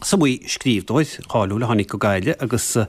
Is iomaí scríbhneoir cáiliúil a tháinig go Gaillimh agus ar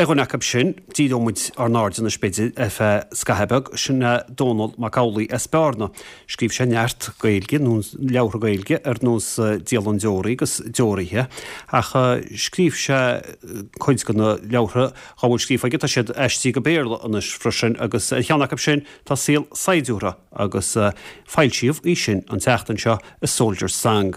dhuine acu sin, díreoidh muid ár n-aird anois b'fhéidir ar feadh scaitheamh beag, sin é Dónall Mac Amhlaigh as Bearna. Scríobh sé neart Gaeilge, nó leabhartha Gaeilge ar nós Dialann Deoraí agus Deoraithe, ach scríobh sé cuid de na leabhartha dhá bhfuil scríofa aige, tá siad aistrithe go Béarla anois freisin agus ar cheann acu sin tá Saol Saighdiúra agus foilsíodh í sin an tseachtain seo. A Soldier's Song.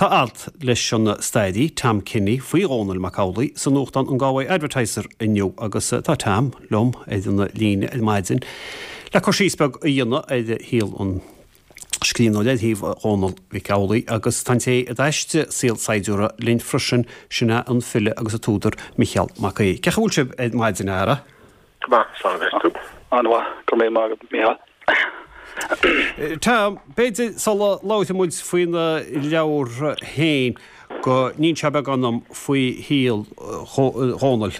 Tá alt leis an stairí Tom Kenny faoi Dhónall Mac Amhlaigh sa nuachtán an Galway Advertiser inniu agus tá Tom liom ar an líne ar maidin le cur síos beag a dhéanamh ar shaol an scríbhneora, ar shaol Dhónaill Mhic Amhlaigh agus tá an té a d'aistrigh Saol Saighdiúra linn freisin, sin é an file agus an t-údar Micheál Mac Aoidh. Cén chaoi a bhfuil sibh ar maidin, a fheara? Go maith, slán a bheas tú. An-mhaith, go raibh míle maith agat, Micheál. Tom, b'fhéidir sula labhróidh muid faoin leabhar féin go n-inseofá beagán dom faoi shaol Dhónaill.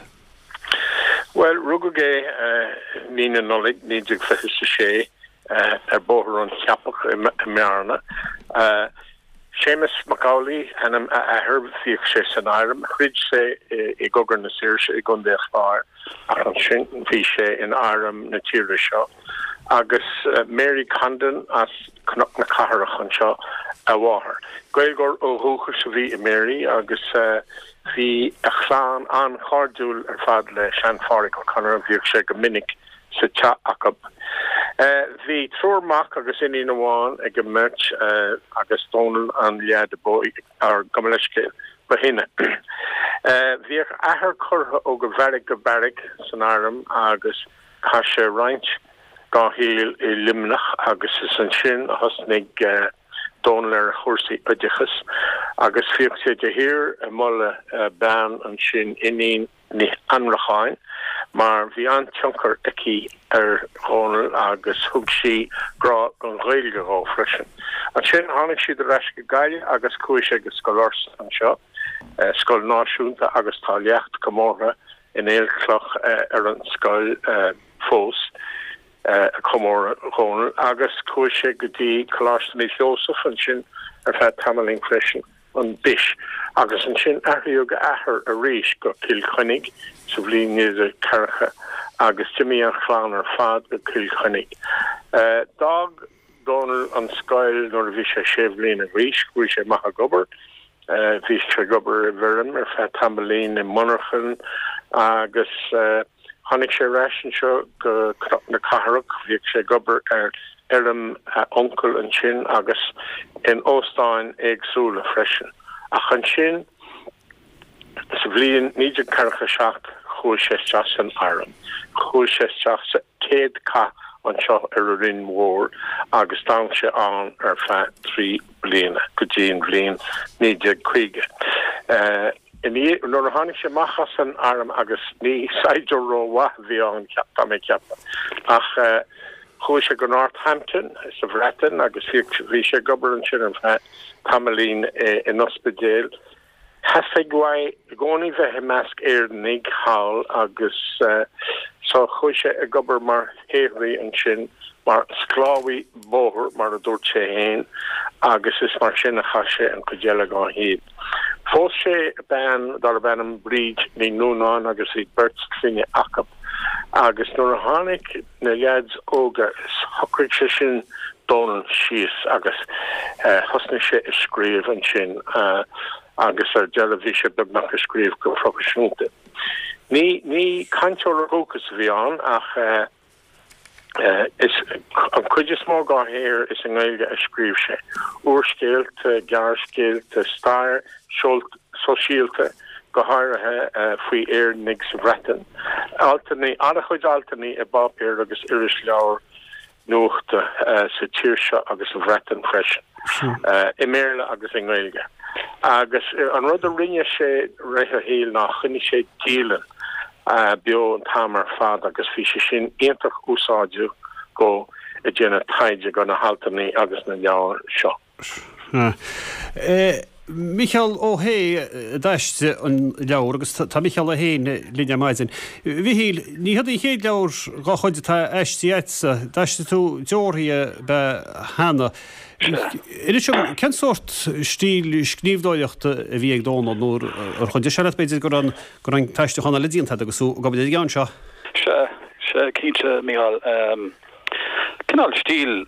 Bhuel, rugadh é mí na Nollag 1926 ar Bhóthar an Cheapach i mBearna. Séamus Mac Amhlaigh ainm a athar, bhíodh sé san airm, throid sé i gCogadh na Saoirse i gContae an Chláir ach ansin bhí sé in arm na tíre seo agus Mary Condon as Cnoc na Cathrach anseo a mháthair. Gaeilgeoir ó dhúchas a bhí i Mary agus bhí a chlann an-chairdiúil ar fad le sean-Phádraic Ó Conaire, bhíodh sé go minic sa teach acu. Bhí triúr mac agus iníon amháin ag an mbeirt agus Dónal an leaid ab óige, or gabh mo leithscéal, ba shine. Bhíodh a athair curtha ó go bheairic go beairic san arm agus chaith sé roinnt dá shaol i Luimneach agus is ansin a thosnaigh Dónal ar a chúrsaí oideachais agus bhíodh sé de shíor ag moladh bean ansin, Iníon Ní Annracháin, mar bhí an-tionchar aici ar Dhónal agus thug sí grá don Ghaeilge dhó freisin. Ansin tháinig siad ar ais go Gaillimh agus chuaigh sé go Scoil Fhursa anseo, scoil náisiúnta agus tá leacht comórtha in aolchloch ar an scoil fós ag comóradh Dhónaill agus chuaigh sé go dtí Coláiste Naomh Sheosamh ansin ar feadh tamaillín freisin. an Dish, agus ansin athraíodh a athair arís go Cill Chainnigh sa bhliain 1940 agus d'imigh an chlann ar fad go Cill Chainnigh. D'fhág Dónal an scoil nuair a bhí sé sé bhliana d'aois, chuaigh sé amach ag obair. Bhí sé ag obair i bhfeirm ar feadh tamaillín i monarchan agus Tháinig sé ar ais anseo go Cnoc na Cathrach. Bhíodh sé ag obair ar fheirm a uncail ansin agus in óstáin éagsúla freisin. Ach ansin sa bhliain 1947 chuaigh sé isteach san arm. Chuaigh sé isteach sa chéad chath anseo ar an Rinn Mhór agus d'fhan sé ann ar feadh 3 bliana go dtí an bhliain 1950. Nuair a tháinig sé amach as an arm, agus ní saighdiúir rómhaith a bhí ann, tá mé ag ceapadh, ach chuaigh sé go Northampton sa Bhreatain agus bhí sé ag obair ansin ar feadh tamaillín in ospidéal. Theastaigh uaidh i gcónaí bheith i measc Éireannaigh thall agus so chuaigh sé ag obair mar shaothraí ansin, mar sclábhaí bóthair mar a dúirt sé fhéin agus is mar sin a chaith sé an chuid eile dhá shaol. Phós sé bean darb ainm Bríd Ní Nuanáin agus bhí beirt clainne acu agus nuair a tháinig na leaids óga shocraigh sé sin Dónal síos agus thosnaigh sé ag scríobh ansin agus ar deireadh bhí sé beagnach ag scríobh go proifisiúnta. Ní ní cainteoir ó dhúchas a bhí ann ach Is an chuid is mó dhá shaothar is i nGaeilge a scríobh sé. Úrscéalta, gearrscéalta, stair sóisialta, go háirithe faoi Éireannaigh sa Bhreatain. Altanna, an-chuid altanna i bpáipéir agus irisleabhair nuachta sa tír seo agus sa Bhreatain freisin, i mBéarla agus i nGaeilge. Agus an rud a rinne sé rith a shaoil ná choinnigh sé dialann. beo an t-am ar fad agus bhí sé sin iontach úsáideach dhó ag déanamh taighde do na haltanna agus na leabhair seo. Micheál Ó hAodha a d'aistrigh an leabhar agus tá Micheál é féin linn ar maidin. A Mhichíl, ní hiod an chéad leabhar dhá chuid atá aistrithe agatsa. D'aistrigh tú Deorthaí ab ea cheana. Inis dom, cén sórt stíl scríbhneoireachta a bhí ag Dónal nó ar chuidigh sé leat b'fhéidir go raibh an t-aistriúchán eile déanta agat agus tú ag obair ar an gceann seo? Sea, sea, cinnte, Micheál. Cineál stíl,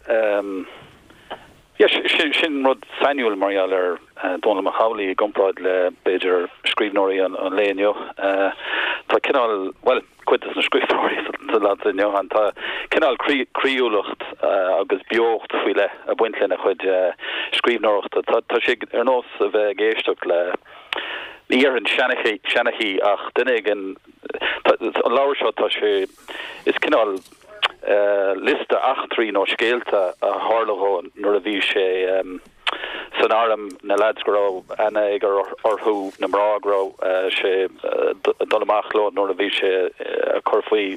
yeah, sin, sin rud sainiúil mar gheall ar Dónall Mac Amhlaigh i gcomparáid le, b'fhéidir, scríbhneoirí an lae inniu. Tá cineál, bhuel, cuid de na scríbhneoirí sa lá atá inniu ann, tá cineál croíúlacht agus beocht faoi leith ag baint lena chuid scríbhneoireachta. Tá, tá sé ar nós a bheith ag éisteacht le, ní dhéarfainn seanchaí, seanchaí ach duine éigin, an leabhar seo, tá sé, is cineál liosta eachtraí nó scéalta a tharla dhó nuair a bhí sé san arm, na leaids go raibh aithne aige orthu, na mná go raibh sé ag dul amach leo nuair a bhí sé ag cur faoi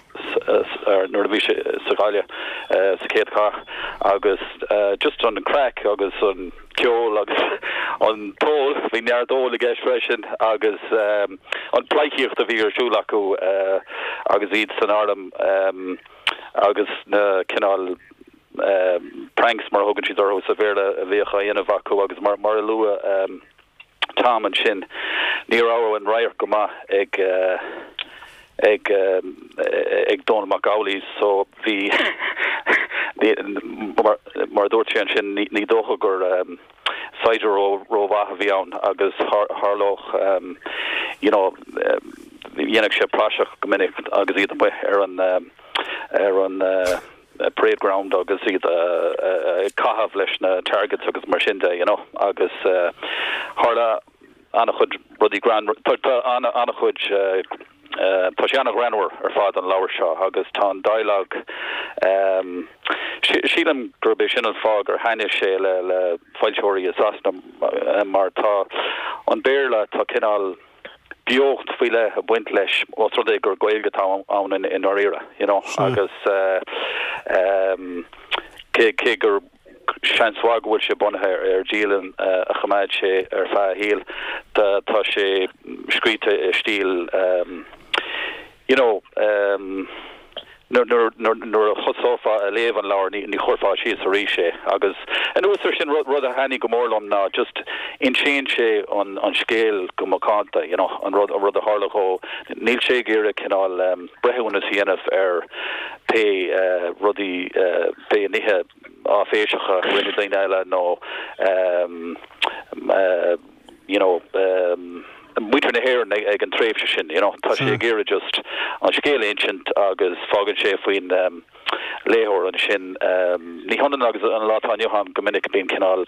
nuair a bhí sé sa Ghaillimh sa chéad chath agus just an craic agus an ceol agus an t-ól, bhí neart óil i gceist freisin agus an pleidhcíocht a bhí ar siúl acu agus iad san arm agus na cineál pranks mar a thugann siad orthu sa Bhéarla a bhíodh á dhéanamh acu agus mar a luaigh Tom ansin, ní raibh an radharc go maith ag ag ag Dónall Mac Amhlaigh so bhí mar mar a dúirt sé ansin ní dócha gur saighdiúir rómhaith a bhí ann agus tharlódh you know dhéanfadh sé praiseach go minic agus iad amuigh ar an ar an parade ground agus iad ag caitheamh leis na targets agus mar sin de you know agus tharla an-chuid rudaí greannmhar, tá tá an-chuid tá sé an-ghreannmhar ar fad an leabhar seo agus tá an dialogue sílim gurb é sin an fáth gur thaitnigh sé le le foilsitheoirí i Sasana mar tá an Béarla tá cineál beocht faoi leith ag baint leis ós rud é gur Gaeilge atá ann i ndáiríre, you know, agus cé cé gur seans mhaith go bhfuil sé bunaithe ar dialann a choimeád sé ar feadh a shaoil, tá sé scríte i stíl you know, Nuair a thosófá a léamh an leabhar ní chuirfeá síos arís é. Agus anuas ar sin, rud a thaitnigh go mór liom ná just insíonn sé an scéal go macánta, you know, an rud a tharla dhó. Níl sé ag iarraidh cineál breithiúnas a dhéanamh ar pé rudaí, pé nithe áiféiseacha a rinne daoine eile nó you know, muintir na hÉireann ag an tréimhse sin, you know. Tá sé ag iarraidh just an scéal a insint agus fágann sé faoin léitheoir ansin. Ní hionann agus an lá atá inniu ann, go minic bíonn cineál,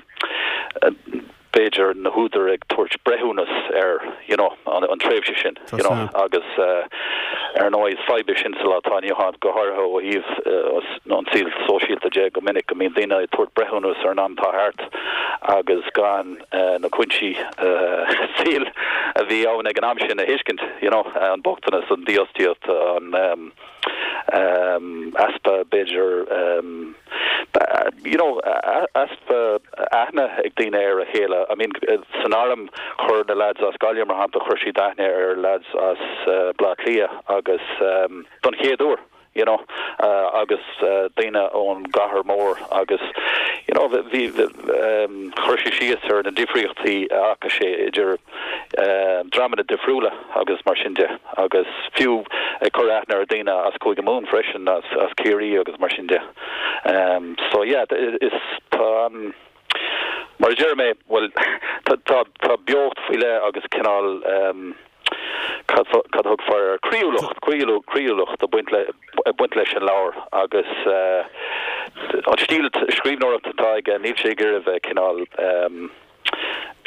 b'fhéidir, na húdair ag tabhairt breithiúnas ar, you know, an tréimhse sin, you know, agus ar ndóigh is fadhb é sin sa lá atá inniu ann, go háirithe ó thaobh an saol sóisialta de, go minic go mbíonn daoine ag tabhairt breithiúnas ar an am atá thart agus gan na cúinsí saoil a bhí ann ag an am sin a thuiscint, you know, an bochtanas, an dífhostaíocht, an easpa, b'fhéidir, you know, easpa aithne ag daoine ar a chéile. I mean, san arm chuir na lads as Gaillimh, mar shampla, chuir siad aithne ar lads as Baile Átha Cliath agus don chéad uair. you know, agus daoine ón gcathair mór agus, you know, bhí, chuir sé síos ar na difríochtaí a fhaca sé idir dreamanna difriúla agus mar sin de agus fiú ag cur aithne ar daoine as Cúige Mumhan freisin, as, as Ciarraí agus mar sin de. So yeah, is, tá an, mar a deir mé, bhuel, tá, tá, tá beocht faoi leith agus cineál, cad a thugfá air, croíúlacht, croíúlacht ag baint le, ag baint leis an leabhar agus an stíl scríbhneoireachta atá aige, níl sé ag iarraidh bheith cineál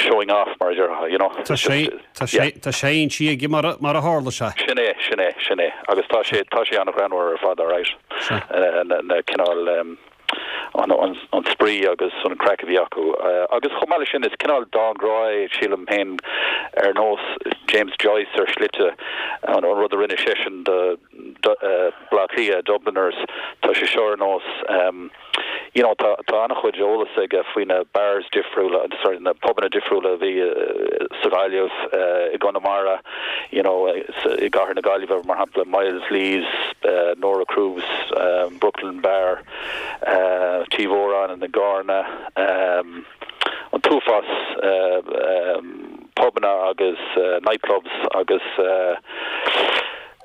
showing off mar a déarfá, you know. Tá sé, tá sé, tá sé insithe aige mar a, mar a tharla sé. Sin é, sin é, sin é. Agus tá sé, tá sé an-ghreannmhar ar fad, alright. Na, na cineál. an spraoi agus an craic a bhí acu. Agus chomh maith leis sin, is cineál dán grá é, sílim féin, ar nós James Joyce ar shlite, an rud a rinne seisean do Bhaile Átha Cliath, Dubliners, tá sé seo ar nós, You know, tá tá an-chuid eolas aige faoi na bars difriúla, sorry, na pubanna difriúla a bhí sa Ghaillimh, i gConamara, you know, i gcathair na Gaillimhe, mar shampla, Myles Lee's, Nora Cruz, Brooklyn Bar, Tí Mhóráin i gCarna, an t-uafás pubanna agus nightclubs agus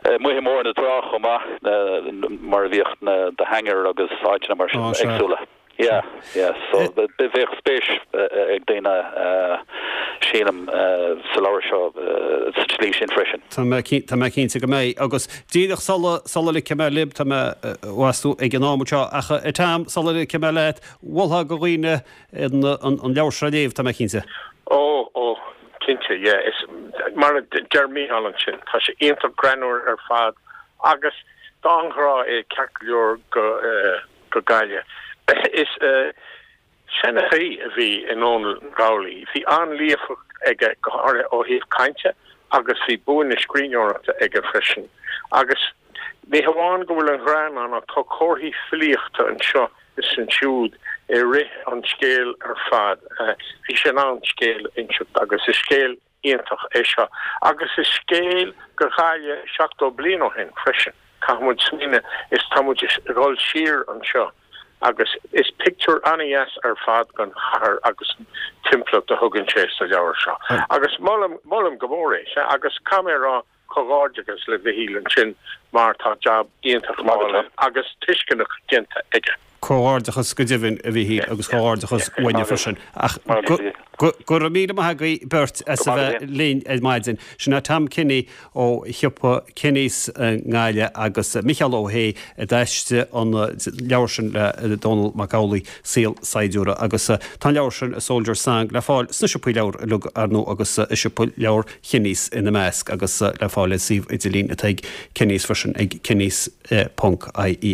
amuigh i mBóthar na Trá chomh maith, mar a bhíodh na The Hangar agus áiteanna mar sin éagsúla. Yeah, yeah, so bheadh spéis ag daoine, sílim, sa leabhar seo sa tslí sin freisin. Tá mé, tá mé cinnte go mbeidh. Agus díreach sula, sula ligfidh mé libh, tá mé, meas tú, ag an am seo, ach a Tom, sula ligfidh mé leat, mholfá do dhaoine an, an leabhar seo a léamh, tá mé cinnte. Ó, ó, cinnte, yeah. Is, mar a deir Mícheál ansin, tá sé iontach greannmhar ar fad agus dán grá é ceart go leor go, go Gaillimh. Is seanchaí a bhí i nDónall Mac Amhlaigh. Bhí an-líofacht aige, go háirithe ó thaobh cainte, agus bhí bua na scríbhneoireachta aige freisin. Agus ní hamháin go bhfuil an ghreann ann ach tá comharthaí filíochta anseo is ansiúd i rith an scéil ar fad. Bhí sé in ann scéal a inseacht agus is scéal iontach é seo. Agus is scéal go Ghaillimh 70 bliain ó shin freisin. Caithfidh muid smaoineamh is tá muid ag dul siar anseo agus is pictiúr an-dheas ar fad den chathair agus an timpeallacht a thugann sé sa leabhar seo. Agus molaim, molaim go mór é. Sea, agus caithfidh mé a rá, comhghairdeachas le Mhichíl ansin mar tá jab iontach álainn agus tuisceanach déanta aige. Comhghairdeachas go deimhin, a Mhichíl, agus comhghairdeachas uainne freisin. Ach go raibh míle maith agaibh beirt as a bheith linn ar maidin. Sin é Tom Kenny ó shiopa Kenny's i nGaillimh agus Micheál Ó hAodha a d'aistrigh an leabhar sin le Dónall Mac Amhlaigh, Saol Saighdiúra. Agus tá an leabhar sin, A Soldier's Song, le fáil sna siopaí leabhar uilig, ar ndóigh, agus i siopa leabhar Kenny's ina measc, agus le fáil ar suíomh idirlín atá ag Kenny's freisin ag kennys ponc ie.